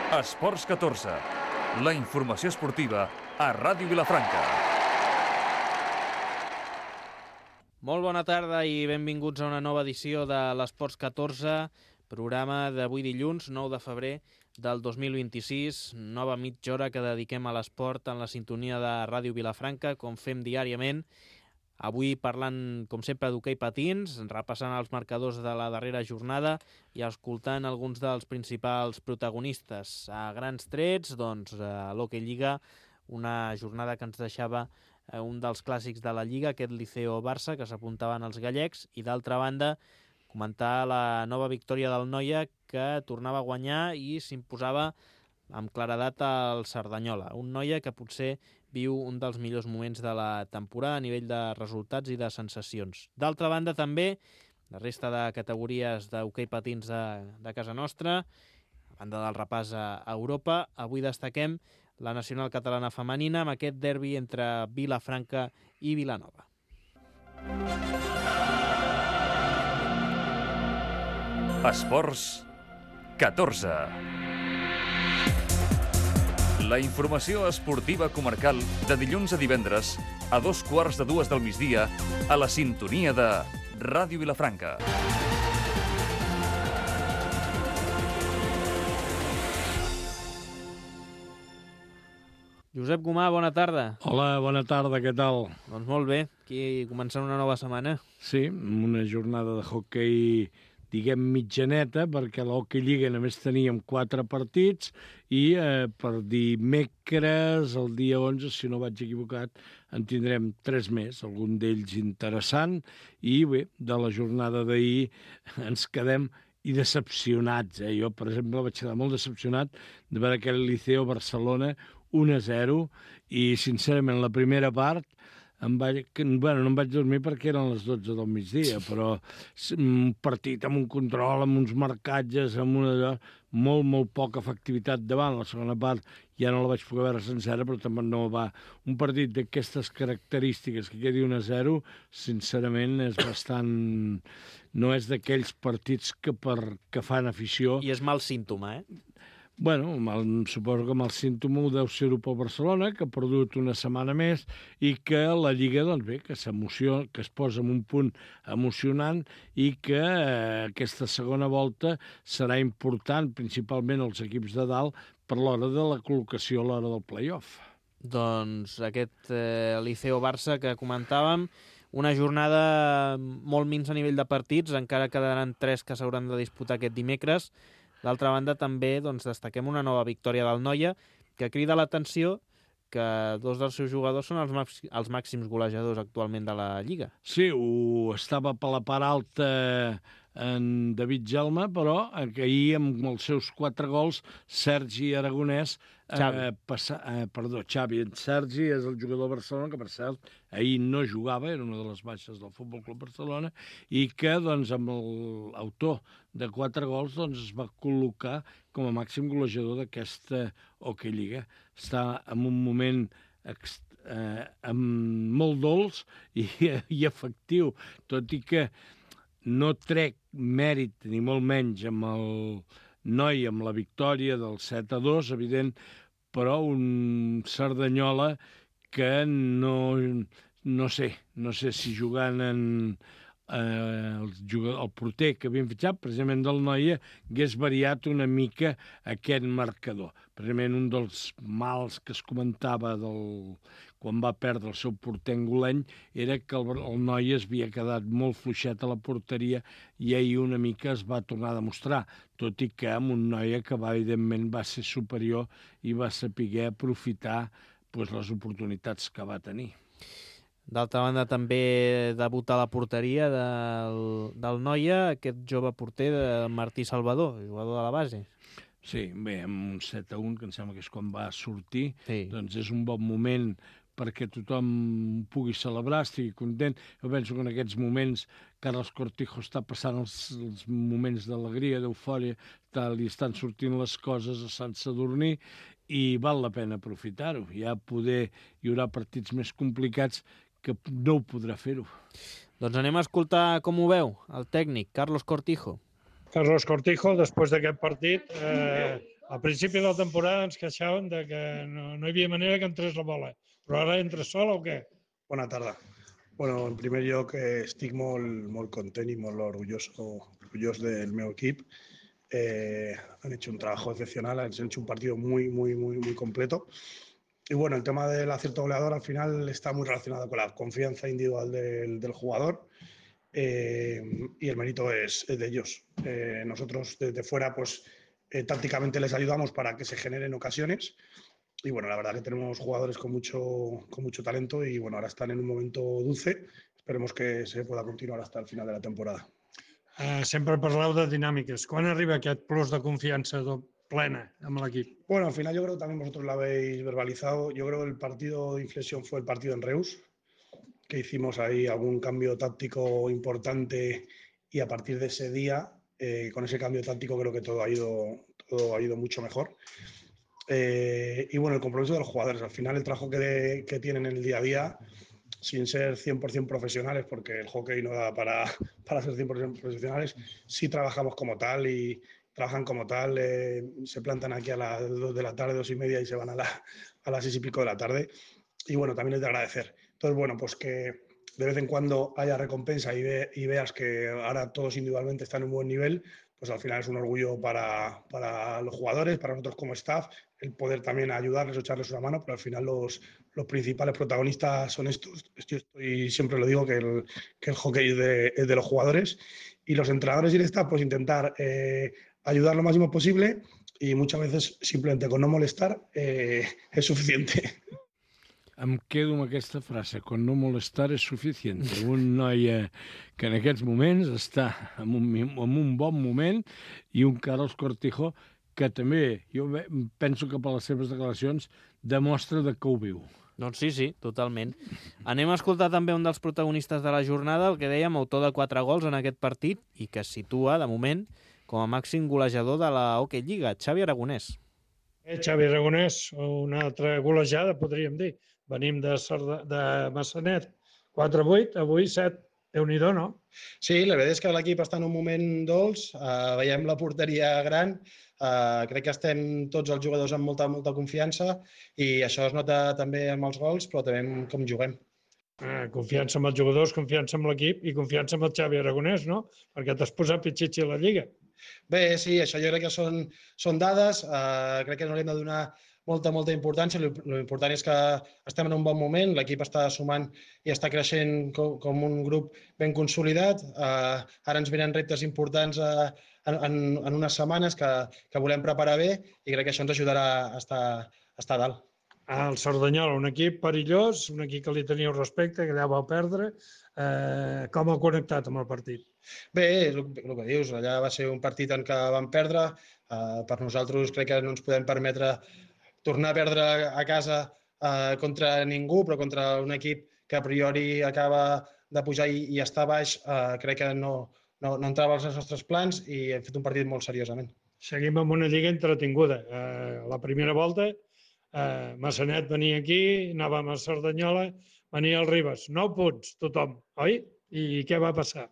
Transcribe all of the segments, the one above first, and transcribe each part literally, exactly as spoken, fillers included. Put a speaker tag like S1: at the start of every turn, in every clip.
S1: Esports catorze, la informació esportiva a Ràdio Vilafranca.
S2: Molt bona tarda i benvinguts a una nova edició de l'Esports catorze, programa d'avui dilluns, nou de febrer del dos mil vint-i-sis, nova mitja hora que dediquem a l'esport en la sintonia de Ràdio Vilafranca, com fem diàriament. Avui parlant, com sempre, d'hoquei patins, repassant els marcadors de la darrera jornada i escoltant alguns dels principals protagonistes. A grans trets, doncs, a l'Hockey Lliga, una jornada que ens deixava un dels clàssics de la Lliga, aquest Liceo-Barça, que s'apuntaven els gallecs, i d'altra banda, comentar la nova victòria del Noia, que tornava a guanyar i s'imposava amb claredat al Cerdanyola. Un Noia que potser viu un dels millors moments de la temporada a nivell de resultats i de sensacions. D'altra banda, també, la resta de categories d'hoquei patins de, de casa nostra, a banda del repàs a Europa, avui destaquem la nacional catalana femenina amb aquest derbi entre Vilafranca i Vilanova.
S1: Esports catorze. La informació esportiva comarcal de dilluns a divendres a dos quarts de dues del migdia a la sintonia de Ràdio Vilafranca.
S2: Josep Gomà, bona tarda.
S3: Hola, bona tarda, què tal?
S2: Doncs molt bé, aquí començant una nova setmana.
S3: Sí, una jornada de hoquei, diguem, mitjaneta, perquè a l'Hockey Lliga només teníem quatre partits i eh, per dimecres, el dia onze, si no vaig equivocat, en tindrem tres més, algun d'ells interessant, i bé, de la jornada d'ahir ens quedem i decepcionats. Eh? Jo, per exemple, vaig quedar molt decepcionat de veure aquell Liceo Barcelona un a zero i, sincerament, la primera part Em vaig, bueno, no em vaig dormir perquè eren les dotze del migdia, però un partit amb un control, amb uns marcatges, amb una molt, molt poca efectivitat davant. La segona part ja no la vaig poder veure sencera, però també no va. Un partit d'aquestes característiques que quedi un a zero, sincerament, és bastant... No és d'aquells partits que, per, que fan afició.
S2: I és mal símptoma, eh?
S3: Bueno, mal, suposo que mal símptoma deu ser-ho pel Barcelona, que ha perdut una setmana més i que la Lliga, doncs bé, que s'emociona, que es posa en un punt emocionant i que eh, aquesta segona volta serà important, principalment als equips de dalt, per l'hora de la col·locació a l'hora del play-off.
S2: Doncs aquest eh, Liceo-Barça que comentàvem, una jornada molt minsa a nivell de partits, encara quedaran tres que s'hauran de disputar aquest dimecres. D'altra banda, també doncs, destaquem una nova victòria del Noia, que crida l'atenció que dos dels seus jugadors són els, màx els màxims golejadors actualment de la Lliga.
S3: Sí, ho estava per la part alta en David Gelma, però ahir amb els seus quatre gols, Sergi Aragonès,
S2: Xavi.
S3: Eh, passa, eh, perdó, Xavi, en Sergi és el jugador de Barcelona, que per cert ahir no jugava, era una de les baixes del Futbol Club Barcelona, i que doncs, amb l'autor de quatre gols doncs, es va col·locar com a màxim golejador d'aquesta Hockey Lliga. Està en un moment ext eh, amb molt dolç i, i efectiu, tot i que no trec mèrit ni molt menys amb el Noi, amb la victòria del set a dos, evident, però un Cerdanyola que no, no sé, no sé si jugant en eh, el, jugador, el porter que havien fitxat, precisament del Noia, hagués variat una mica aquest marcador. Precisament un dels mals que es comentava del, quan va perdre el seu porter angoleny era que el, el Noia es havia quedat molt fluixet a la porteria i ahir una mica es va tornar a demostrar, tot i que amb un Noia que va, evidentment va ser superior i va saber aprofitar pues, les oportunitats que va tenir.
S2: D'altra banda, també debuta a la porteria del, del Noia, aquest jove porter de Martí Salvador, jugador de la base.
S3: Sí, bé, amb un set a un, que em sembla que és quan va sortir,
S2: sí.
S3: Doncs és un bon moment perquè tothom pugui celebrar, estigui content. Jo penso que en aquests moments Carles Cortijo està passant els, els moments d'alegria, d'eufòria, li estan sortint les coses a Sant Sadurní i val la pena aprofitar-ho. Ja poder hi haurà partits més complicats que no ho podrà fer-ho.
S2: Doncs anem a escoltar com ho veu el tècnic, Carlos Cortijo.
S4: Carlos Cortijo, després d'aquest partit, eh, Al principi de la temporada ens queixàvem de que no, no hi havia manera que entrés la bola, però ara entra sola o què?
S5: Bona tarda. Bueno, en primer lloc eh, estic molt, molt content i molt orgulloso, orgullós del meu equip. Eh, han hecho un trabajo excepcional, han hecho un partido muy, muy, muy, muy completo. Y bueno, el tema del acierto goleador al final está muy relacionado con la confianza individual del, del jugador eh, y el mérito es, es de ellos. Eh, nosotros desde fuera pues eh, tácticamente les ayudamos para que se generen ocasiones y bueno, la verdad que tenemos jugadores con mucho, con mucho talento y bueno, ahora están en un momento dulce. Esperemos que se pueda continuar hasta el final de la temporada.
S4: Uh, sempre parleu de dinàmiques. Quan arriba aquest plus de confiança plena amb l'equip?
S5: Bueno, al final yo creo que también vosotros lo habéis verbalizado. Yo creo que el partido de inflexión fue el partido en Reus, que hicimos ahí algún cambio táctico importante y a partir de ese día, eh, con ese cambio táctico creo que todo ha ido, todo ha ido mucho mejor. Eh, y bueno, el compromiso de los jugadores. Al final el trabajo que, de, que tienen en el día a día, sin ser cien por cien profesionales, porque el hockey no da para, para ser cien por cien profesionales, sí trabajamos como tal y trabajan como tal, eh, se plantan aquí a las dos de la tarde, dos y media y se van a, la, a las seis y pico de la tarde. Y bueno, también es de agradecer. Entonces, bueno, pues que de vez en cuando haya recompensa y, ve, y veas que ahora todos individualmente están en un buen nivel, pues al final es un orgullo para, para los jugadores, para nosotros como staff, el poder también ayudarles o echarles una mano, pero al final los, los principales protagonistas son estos. Yo estoy, siempre lo digo, que el, que el hockey es de, es de los jugadores y los entrenadores y el staff, pues intentar eh, ayudar lo máximo posible y muchas veces simplemente con no molestar eh, es suficiente.
S3: Em quedo amb aquesta frase, con no molestar és suficient. Un noi eh, que en aquests moments està en un, en un bon moment i un Carlos Cortijo que també, jo penso que per les seves declaracions, demostra de que ho viu.
S2: Doncs sí, sí, totalment. Anem a escoltar també un dels protagonistes de la jornada, el que dèiem, autor de quatre gols en aquest partit i que es situa, de moment, com a màxim golejador de la Hockey Lliga, Xavi Aragonès.
S4: Eh, Xavi Aragonès, una altra golejada, podríem dir. Venim de, Sarda, de Massanet, quatre vuit, avui set. Déu-n'hi-do, no?
S5: Sí, la veritat és que l'equip està en un moment dolç, uh, veiem la porteria gran, uh, crec que estem tots els jugadors amb molta, molta confiança i això es nota també amb els gols, però també amb com juguem.
S4: Uh, confiança amb els jugadors, confiança amb l'equip i confiança amb el Xavi Aragonès, no? Perquè t'has posat pitxitxi a la Lliga.
S5: Bé, sí, això jo crec que són, són dades, uh, crec que no li hem de donar molta, molta importància. L'important és que estem en un bon moment, l'equip està sumant i està creixent com, com un grup ben consolidat. Uh, ara ens venen reptes importants uh, en, en unes setmanes que, que volem preparar bé i crec que això ens ajudarà a estar, a estar a dalt.
S4: El Cerdanyola, un equip perillós, un equip que li teníeu respecte, que allà vau perdre. Eh, com ha connectat amb el partit?
S5: Bé, és el, el que dius, allà va ser un partit en què vam perdre. Uh, per nosaltres crec que no ens podem permetre tornar a perdre a casa eh, contra ningú, però contra un equip que a priori acaba de pujar i, i està baix, eh, crec que no, no, no entrava als nostres plans i hem fet un partit molt seriosament.
S4: Seguim amb una lliga entretinguda. Eh, la primera volta, eh, Massanet venia aquí, anàvem a Cerdanyola, venia el Ribes. Nou punts, tothom, oi? I què va passar?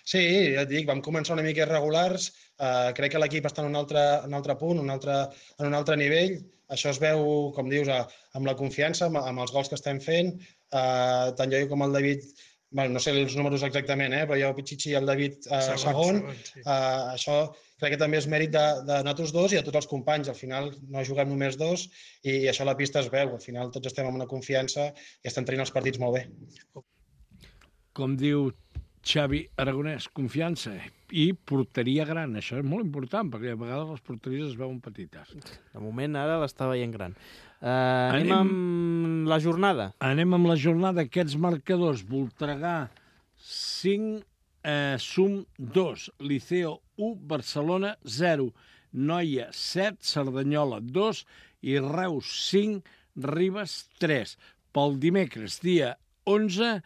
S5: Sí, ja et dic, vam començar una mica irregulars, eh, crec que l'equip està en un altre, un altre punt, un altre, en un altre nivell, això es veu, com dius, a, amb la confiança, amb, amb els gols que estem fent, eh, tant jo com el David, bueno, no sé els números exactament, eh, però jo, Pichichi i el David eh, segon, segon, segon sí. eh, això crec que també és mèrit de, de nosaltres dos i de tots els companys, al final no juguem només dos i, i això a la pista es veu, al final tots estem amb una confiança i estem tenint els partits molt bé.
S3: Com diu Xavi Aragonès, confiança i porteria gran. Això és molt important, perquè a vegades les porteries es veuen petites.
S2: De moment, ara l'està veient gran. Uh, anem, anem amb la jornada.
S3: Anem amb la jornada. Aquests marcadors. Voltregà cinc, eh, Sum dos, Liceo u, Barcelona zero, Noia set, Cerdanyola dos i Reus cinc, Ribes tres. Pel dimecres, dia onze,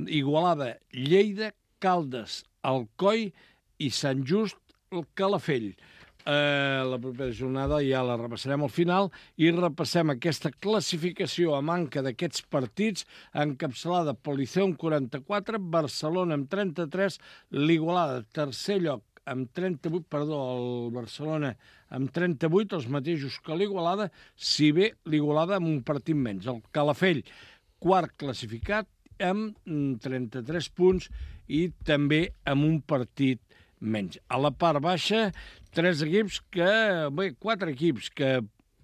S3: Igualada, Lleida, Caldes, Alcoi i Sant Just, el Calafell. Eh, la propera jornada ja la repassarem al final i repassem aquesta classificació a manca d'aquests partits encapçalada pel Liceu amb quaranta-quatre, Barcelona amb trenta-tres, l'Igualada tercer lloc amb trenta-vuit, perdó, el Barcelona amb trenta-vuit, els mateixos que l'Igualada, si bé l'Igualada amb un partit menys. El Calafell, quart classificat, amb trenta-tres punts i també amb un partit menys. A la part baixa, tres equips que, bé, quatre equips que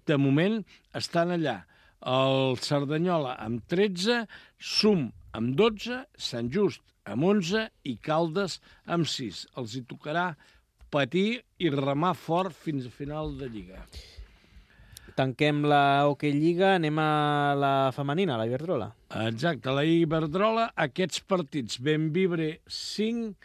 S3: de moment estan allà. El Cerdanyola amb tretze, Sum amb dotze, Sant Just amb onze i Caldes amb sis. Els hi tocarà patir i remar fort fins a final de Lliga.
S2: Tanquem la Hockey Lliga, anem a la femenina, la Iberdrola.
S3: Exacte, la Iberdrola, aquests partits, Benvibre cinc,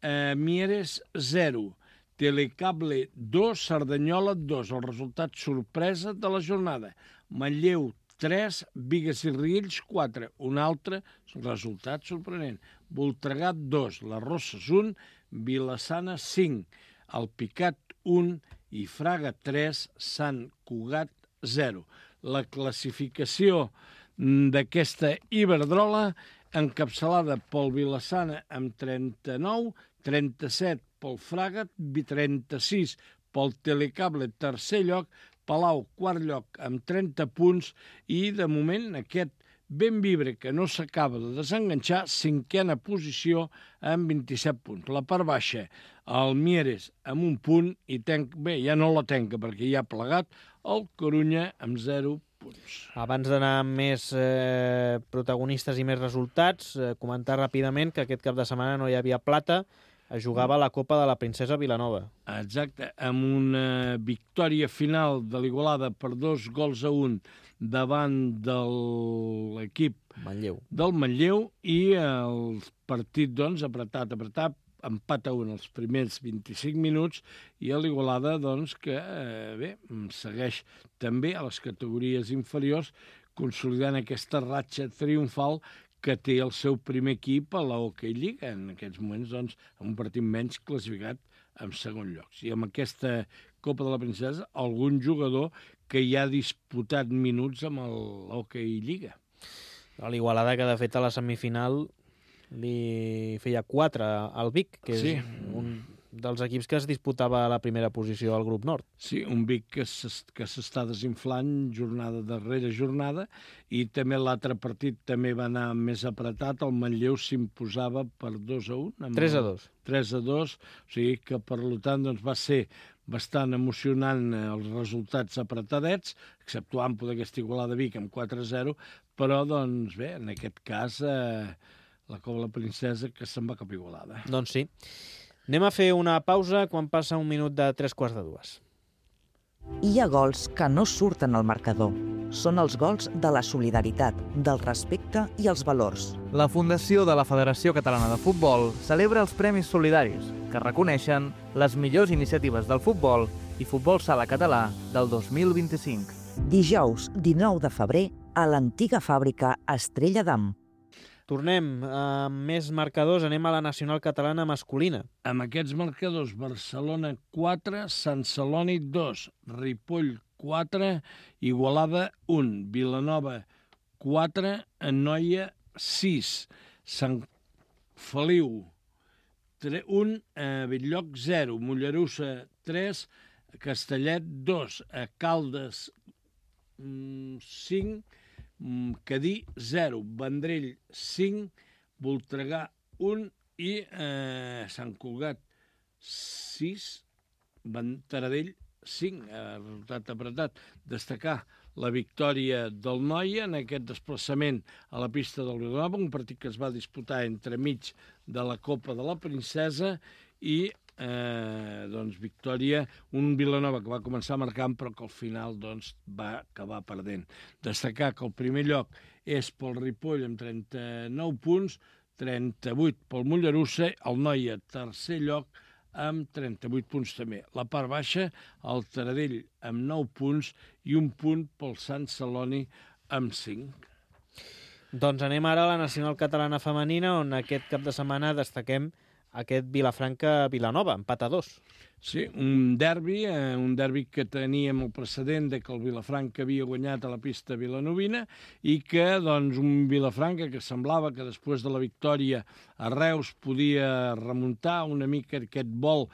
S3: eh, Mieres zero, Telecable dos, Cerdanyola dos, el resultat sorpresa de la jornada. Manlleu tres, Bigues i Riells quatre, un altre resultat sorprenent. Voltregà dos, la Rosses un, Vilassana cinc, el Picat un i Fraga tres, Sant Cugat zero. La classificació d'aquesta Iberdrola encapçalada pel Vilassana amb trenta-nou, trenta-set pel Fraga, trenta-sis pel Telecable, tercer lloc, Palau, quart lloc, amb trenta punts, i de moment aquest Benvibre, que no s'acaba de desenganxar, cinquena posició amb vint-i-set punts. La part baixa, el Mieres amb un punt, i tenc, bé, ja no la tenca perquè ja ha plegat, el Corunya amb zero punts.
S2: Abans d'anar amb més eh, protagonistes i més resultats, eh, comentar ràpidament que aquest cap de setmana no hi havia plata, es jugava la Copa de la Princesa Vilanova.
S3: Exacte, amb una victòria final de l'Igualada per dos gols a un davant de l'equip
S2: Manlleu.
S3: del Manlleu, i el partit, doncs, apretat, apretat, empat a un els primers vint-i-cinc minuts, i l'Igualada, doncs, que, eh, bé, segueix també a les categories inferiors, consolidant aquesta ratxa triomfal que té el seu primer equip a la Hockey Lliga, en aquests moments, doncs, amb un partit menys classificat en segon lloc. I amb aquesta Copa de la Princesa, algun jugador que ja ha disputat minuts amb el Hockey Lliga.
S2: L'Igualada, que de fet a la semifinal li feia quatre al Vic, que
S3: Sí.
S2: és un dels equips que es disputava a la primera posició al grup nord.
S3: Sí, un Vic que s'està desinflant jornada darrere jornada, i també l'altre partit també va anar més apretat. El Manlleu s'imposava per dos a un.
S2: tres a dos.
S3: tres a dos, o sigui que, per tant, doncs, va ser bastant emocionant els resultats apretadets, exceptuant poder aquesta Igualada Vic amb quatre a zero, però, doncs, bé, en aquest cas, eh, la Copa de la Princesa que se'n va cap a Igualada.
S2: Doncs sí. Anem a fer una pausa quan passa un minut de tres quarts de dues.
S6: Hi ha gols que no surten al marcador. Són els gols de la solidaritat, del respecte i els valors.
S7: La Fundació de la Federació Catalana de Futbol celebra els Premis Solidaris, que reconeixen les millors iniciatives del futbol i futbol sala català del dos mil vint-i-cinc.
S6: Dijous, dinou de febrer, a l'antiga fàbrica Estrella d'Am.
S2: Tornem amb més marcadors, anem a la nacional catalana masculina.
S3: Amb aquests marcadors, Barcelona quatre, Sant Celoni dos, Ripoll quatre, Igualada un, Vilanova quatre, Anoia sis, Sant Feliu un, Belllloc zero, Mollerussa tres, Castellet dos, Caldes cinc, Cadí zero, Vendrell cinc, Voltregà un i eh, Sant Cugat sis, Taradell cinc, eh, resultat apretat. Destacar la victòria del Noia en aquest desplaçament a la pista del Vilanova, un partit que es va disputar entremig de la Copa de la Princesa, i Eh, doncs, victòria, un Vilanova que va començar marcant però que al final, doncs, va acabar perdent. Destacar que el primer lloc és pel Ripoll amb trenta-nou punts, trenta-vuit pel Mollerussa, el Noia tercer lloc amb trenta-vuit punts també. La part baixa, el Taradell amb nou punts i un punt pel Sant Celoni amb cinc.
S2: Doncs anem ara a la nacional catalana femenina, on aquest cap de setmana destaquem aquest Vilafranca-Vilanova, empat a dos.
S3: Sí, un derbi, eh, un derbi que teníem el precedent de que el Vilafranca havia guanyat a la pista vilanovina i que, doncs, un Vilafranca que semblava que després de la victòria a Reus podia remuntar una mica aquest vol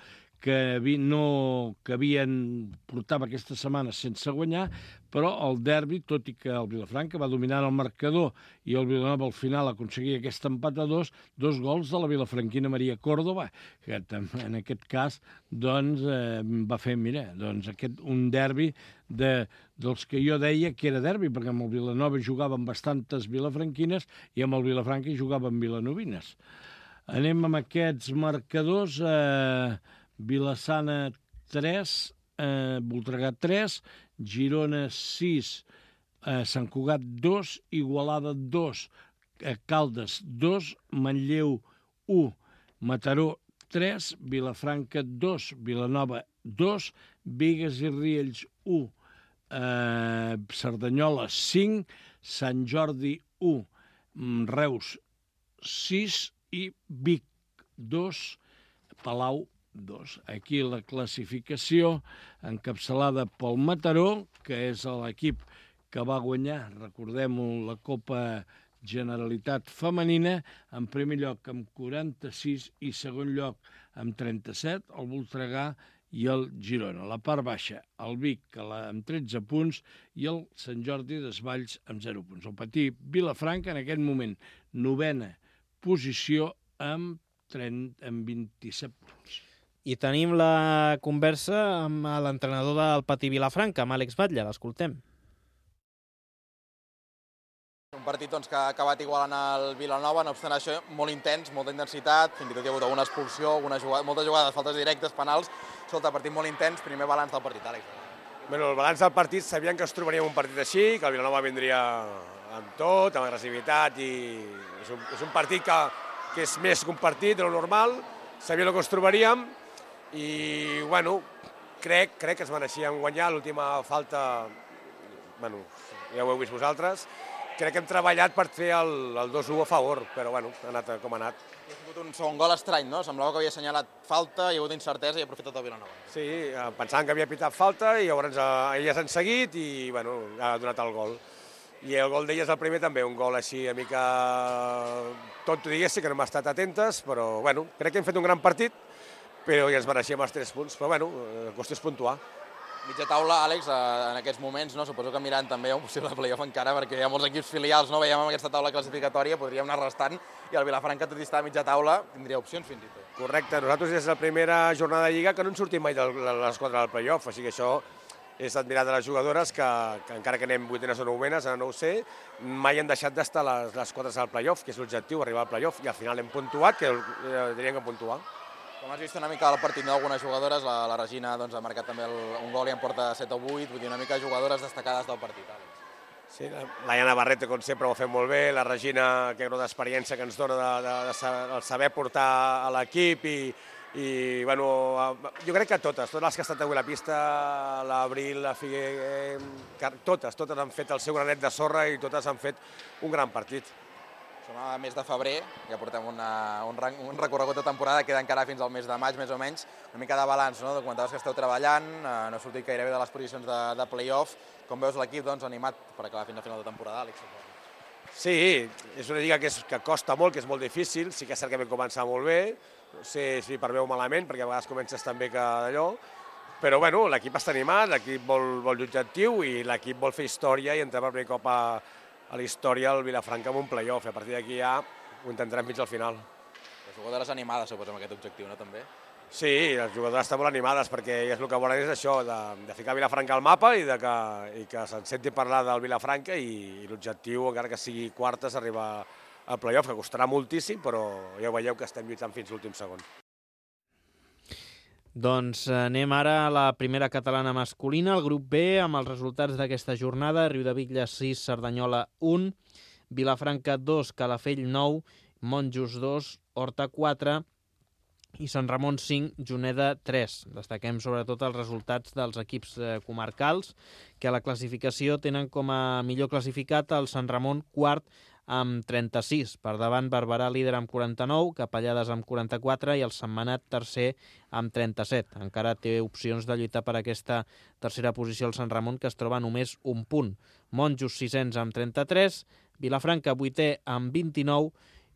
S3: que, vi, no, que havien portava aquesta setmana sense guanyar, però el derbi, tot i que el Vilafranca va dominar el marcador i el Vilanova al final aconseguia aquest empat a dos, dos gols de la vilafranquina Maria Córdoba, que en aquest cas doncs, eh, va fer, mira, doncs aquest, un derbi de, dels que jo deia que era derbi, perquè amb el Vilanova jugaven bastantes vilafranquines i amb el Vilafranca jugaven vilanovines. Anem amb aquests marcadors... Eh, Vilassana tres, eh, Voltregà tres, Girona sis, eh, Sant Cugat dos, Igualada dos, eh, Caldes dos, Manlleu u, Mataró tres, Vilafranca dos, Vilanova dos, Bigues i Riells u, eh, Cerdanyola cinc, Sant Jordi u, Reus sis i Vic dos, Palau dos. Aquí la classificació encapçalada pel Mataró, que és l'equip que va guanyar, recordem-ho, la Copa Generalitat Femenina, en primer lloc amb quaranta-sis i segon lloc amb trenta-set, el Voltregà i el Girona. La part baixa, el Vic amb tretze punts i el Sant Jordi Desvalls amb zero punts. El petit Vilafranca en aquest moment novena posició amb, trenta, amb vint-i-set punts.
S2: I tenim la conversa amb l'entrenador del Patí Vilafranca, amb Àlex Batlle. L'escoltem.
S8: Un partit doncs, que ha acabat igualant el Vilanova, no obstant això, molt intens, molta intensitat, fins i tot hi ha hagut alguna expulsió, alguna jugada, moltes jugades, faltes directes, penals. Escolta, partit molt intens, primer balanç del partit, Àlex.
S9: Bueno, el balanç del partit, sabíem que ens trobaríem un partit així, que el Vilanova vindria amb tot, amb agressivitat, i és un, és un partit que, que és més que un partit de lo normal, sabíem que ens trobaríem, i, bueno, crec, crec que es mereixíem guanyar l'última falta, bueno, ja ho heu vist vosaltres, crec que hem treballat per fer el, el dos a u a favor, però, bueno, ha anat com ha anat.
S8: Ha sigut un segon gol estrany, no? Semblava que havia assenyalat falta, hi ha hagut incertesa i ha aprofitat el Vilanova.
S9: Sí, pensaven que havia pitat falta i llavors elles han seguit i, bueno, ha donat el gol. I el gol d'elles, el primer, també, un gol així, una mica tot diguéssim, que no hem estat atentes, però, bueno, crec que hem fet un gran partit, però ja ens mereixíem els tres punts, però bueno, la qüestió és puntuar.
S8: Mitja taula, Àlex, en aquests moments, no? Suposo que mirant també un possible playoff encara, perquè hi ha molts equips filials, no? Veiem amb aquesta taula classificatòria, podríem anar restant, i el Vilafranca, tot i estar a mitja taula, tindria opcions fins i tot.
S9: Correcte, nosaltres des de la primera jornada de Lliga que no en sortim mai de l'esquadra del playoff, així que això és admirat de les jugadores que, que encara que anem vuitenes o novenes, ara no ho sé, mai han deixat d'estar les, les quadres al playoff, que és l'objectiu, arribar al playoff, i al final hem puntuat, que eh, teníem que puntuar.
S8: Com has vist una mica el partit d'algunes jugadores, la, la Regina doncs, ha marcat també el, un gol i en porta set o vuit, vull dir una mica jugadores destacades del partit. Àlex.
S9: Sí, la, la Iana Barreto, com sempre, ho ha fet molt bé, la Regina, que és una experiència que ens dona de, de, de, de saber portar a l'equip i, i bueno, jo crec que totes, totes les que han estat avui a la pista, l'Abril, la Figuer, totes, totes han fet el seu granet de sorra i totes han fet un gran partit.
S8: Som a mes de febrer, ja portem una, un, un recorregut de temporada, queda encara fins al mes de maig, més o menys, una mica de balanç, no? Comentaves que esteu treballant, eh, no ha sortit gairebé de les posicions de, de play-off. Com veus l'equip doncs, animat per acabar fins al final de temporada, Àlex?
S9: Sí, és una lliga que, és, que costa molt, que és molt difícil, sí que és cert que vam començar molt bé, no sé si per bé o malament, perquè a vegades comences tan bé que d'allò, però bueno, l'equip està animat, l'equip vol, vol l'objectiu i l'equip vol fer història i entrar per primer cop a a la història del Vilafranca amb un play-off. A partir d'aquí ja ho intentarem fins al final.
S8: Les jugadores animades, suposo, amb aquest objectiu, no, també?
S9: Sí, les jugadores estan molt animades perquè és el que volen és això, de, de ficar Vilafranca al mapa i, de que, i que se'n senti parlar del Vilafranca i, i l'objectiu, encara que sigui quartes, arribar al play-off, que costarà moltíssim, però ja ho veieu que estem lluitant fins l'últim segon.
S2: Doncs anem ara a la primera catalana masculina, el grup B, amb els resultats d'aquesta jornada. Riudebitlles sis, Cerdanyola un, Vilafranca dos, Calafell nou, Monjos dos, Horta quatre i Sant Ramon cinc, Juneda tres. Destaquem sobretot els resultats dels equips comarcals, que a la classificació tenen com a millor classificat el Sant Ramon quart amb trenta-sis. Per davant, Barberà líder amb quaranta-nou, Capellades amb quaranta-quatre i el Sentmenat tercer amb trenta-set. Encara té opcions de lluitar per aquesta tercera posició el Sant Ramon, que es troba només un punt. Monjos sisens amb trenta-tres, Vilafranca vuitè amb vint-i-nou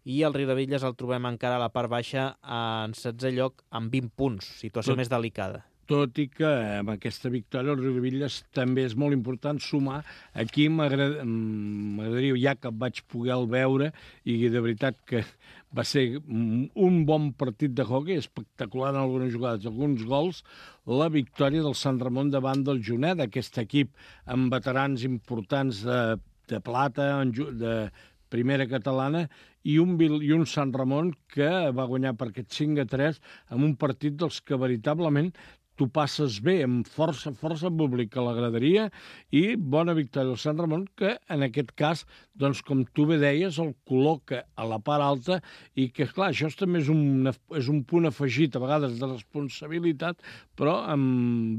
S2: i el Riudebitlles el trobem encara a la part baixa en setzè lloc amb vint punts, situació
S3: Tot...
S2: més delicada.
S3: Tot i que amb aquesta victòria el Riudebitlles també és molt important sumar. Aquí m'agradaria, ja que vaig poder el veure, i de veritat que va ser un bon partit de hoquei, espectacular en algunes jugades, alguns gols, la victòria del Sant Ramon davant del Juneda, aquest equip amb veterans importants de, de plata, de primera catalana, i un, i un Sant Ramon que va guanyar per aquest cinc a tres amb un partit dels que veritablement tu passes bé, amb força, força públic a la graderia, i bona victòria del Sant Ramon, que en aquest cas, doncs, com tu bé deies, el col·loca a la part alta, i que, clar, això també és un, és un punt afegit, a vegades, de responsabilitat, però em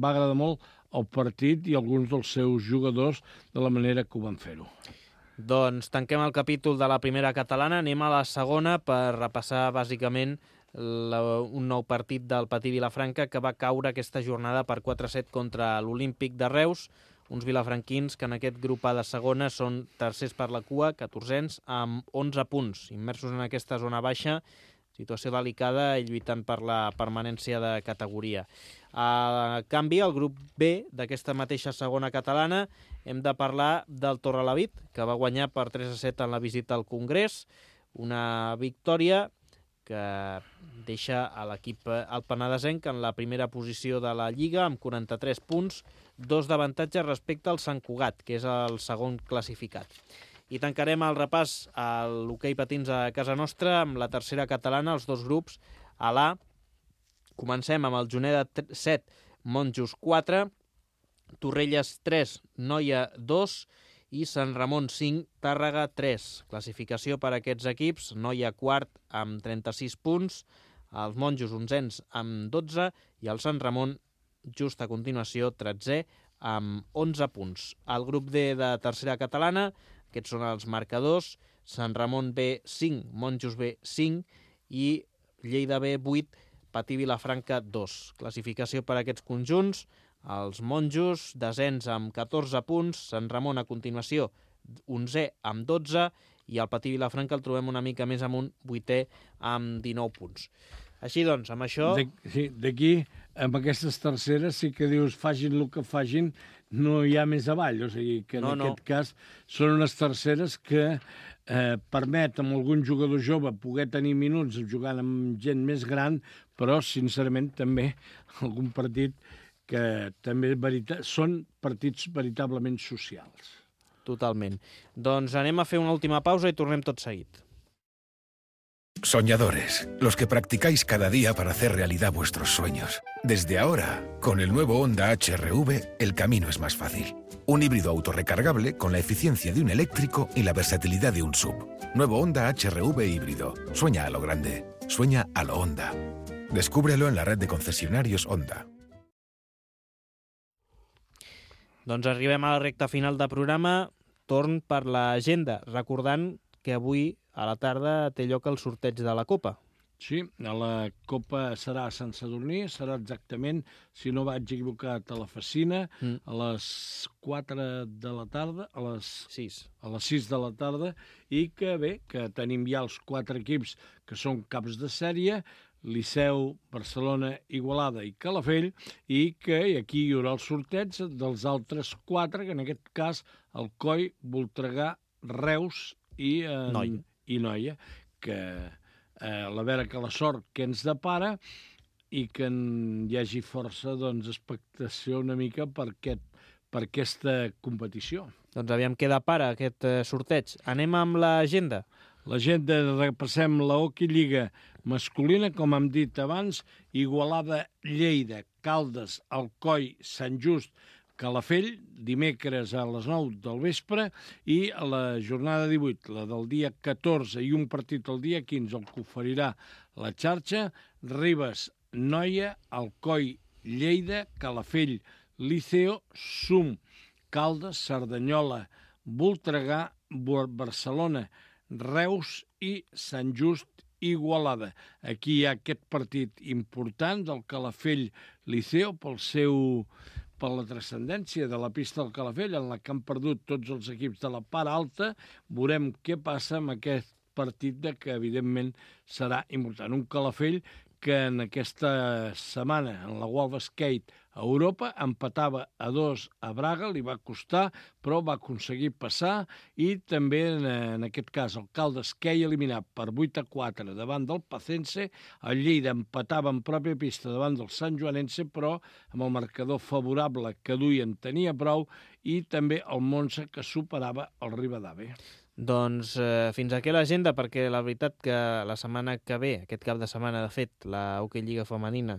S3: va agradar molt el partit i alguns dels seus jugadors de la manera que ho van fer-ho.
S2: Doncs tanquem el capítol de la primera catalana, anem a la segona per repassar, bàsicament, La, un nou partit del Patí Vilafranca que va caure aquesta jornada per quatre a set contra l'Olímpic de Reus, uns vilafranquins que en aquest grup A de segona són tercers per la cua, catorzens, amb onze punts, immersos en aquesta zona baixa, situació delicada i lluitant per la permanència de categoria. A canvi, al grup B d'aquesta mateixa segona catalana hem de parlar del Torrelavit, que va guanyar per tres a set en la visita al Congrés, una victòria que deixa a l'equip alpenadesenc en la primera posició de la Lliga amb quaranta-tres punts, dos d'avantatge respecte al Sant Cugat, que és el segon classificat. I tancarem el repàs a l'hoquei patins a casa nostra amb la tercera catalana, els dos grups. A l'A comencem amb el Juneda set, Monjos quatre, Torrelles tres, Noia dos, i Sant Ramon cinc, Tàrrega tres. Classificació per a aquests equips: Noia quart amb trenta-sis punts, els Monjos onzens amb dotze i el Sant Ramon just a continuació tretzè amb onze punts. Al grup D de tercera catalana, aquests són els marcadors: Sant Ramon B cinc, Monjos B cinc i Lleida B vuit, Patí Vilafranca dos. Classificació per a aquests conjunts: els Monjos, desens amb catorze punts, Sant Ramon a continuació, onzè amb dotze, i el Patí Vilafranca el trobem una mica més amunt, vuitè amb dinou punts. Així doncs, amb això...
S3: Sí, d'aquí, amb aquestes terceres, sí que dius, fagin el que fagin, no hi ha més avall. O sigui, que en
S2: no,
S3: aquest
S2: no.
S3: cas són unes terceres que eh, permet a algun jugador jove poder tenir minuts jugant amb gent més gran, però, sincerament, també algun partit que també verita... són partits veritablement socials.
S2: Totalment. Doncs anem a fer una última pausa i tornem tot seguit.
S10: Soñadores, los que practicáis cada día para hacer realidad vuestros sueños. Desde ahora, con el nuevo Honda H R V, el camino es más fácil. Un híbrido autorrecargable con la eficiencia de un eléctrico y la versatilidad de un S U V. Nuevo Honda H R V híbrido. Sueña a lo grande. Sueña a lo Honda. Descúbrelo en la red de concesionarios Honda.
S2: Doncs arribem a la recta final del programa. Torn per l'agenda, recordant que avui a la tarda té lloc el sorteig de la Copa.
S3: Sí, la Copa serà a Sant Sadurní, serà exactament, si no vaig equivocat, a la Facina, mm. a les quatre de la tarda, a les
S2: sis.
S3: a les sis de la tarda, i que bé, que tenim ja els quatre equips que són caps de sèrie, Liceu, Barcelona, Igualada i Calafell, i que aquí hi haurà el sorteig dels altres quatre, que en aquest cas Alcoi, Voltregà, Reus i, eh,
S2: Noia.
S3: i Noia, que eh, a veure que la sort que ens depara i que hi hagi força doncs, expectació una mica per, aquest, per aquesta competició.
S2: Doncs aviam què depara aquest eh, sorteig. Anem amb l'agenda.
S3: L'agenda, repassem la Hockey Lliga masculina, com hem dit abans, Igualada, Lleida, Caldes, Alcoi, Sant Just, Calafell, dimecres a les nou del vespre, i a la jornada divuit, la del dia catorze, i un partit el dia quinze, el que oferirà la xarxa, Ribes, Noia, Alcoi, Lleida, Calafell, Liceo, Sum, Caldes, Cerdanyola, Voltregà, Barcelona, Reus i Sant Just Igualada. Aquí hi ha aquest partit important del Calafell Liceo pel seu per la transcendència de la pista del Calafell, en la que han perdut tots els equips de la part alta. Veurem què passa amb aquest partit de que, evidentment, serà important. Un Calafell que en aquesta setmana, en la World Skate a Europa, empatava a dos a Braga, li va costar, però va aconseguir passar, i també, en, en aquest cas, el Caldes queia eliminat per vuit a quatre davant del Pacense, el Lleida empatava en pròpia pista davant del Sant Joanense, però amb el marcador favorable que duien tenia prou, i també el Monza, que superava el Rivadavia.
S2: Doncs eh, fins aquí l'agenda, perquè la veritat que la setmana que ve, aquest cap de setmana, de fet, la Hockey Lliga femenina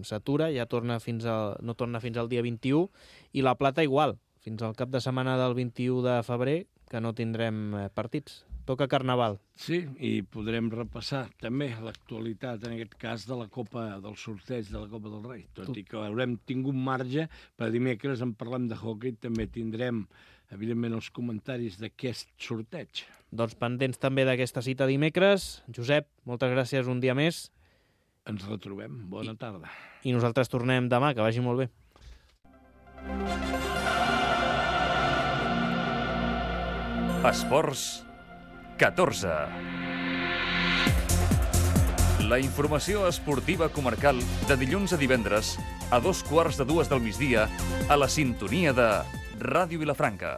S2: s'atura, ja torna fins al, no torna fins al dia vint-i-u, i la plata igual, fins al cap de setmana del vint-i-u de febrer, que no tindrem partits. Toca Carnaval.
S3: Sí, i podrem repassar també l'actualitat, en aquest cas, de la Copa del sorteig de la Copa del Rei. Tot i que haurem tingut marge, per dimecres en parlem de hockey, també tindrem evidentment, els comentaris d'aquest sorteig.
S2: Doncs pendents també d'aquesta cita dimecres. Josep, moltes gràcies un dia més.
S3: Ens retrobem. Bona tarda.
S2: I nosaltres tornem demà, que vagi molt bé.
S1: Esports catorze. La informació esportiva comarcal de dilluns a divendres a dos quarts de dues del migdia a la sintonia de Ràdio Vilafranca.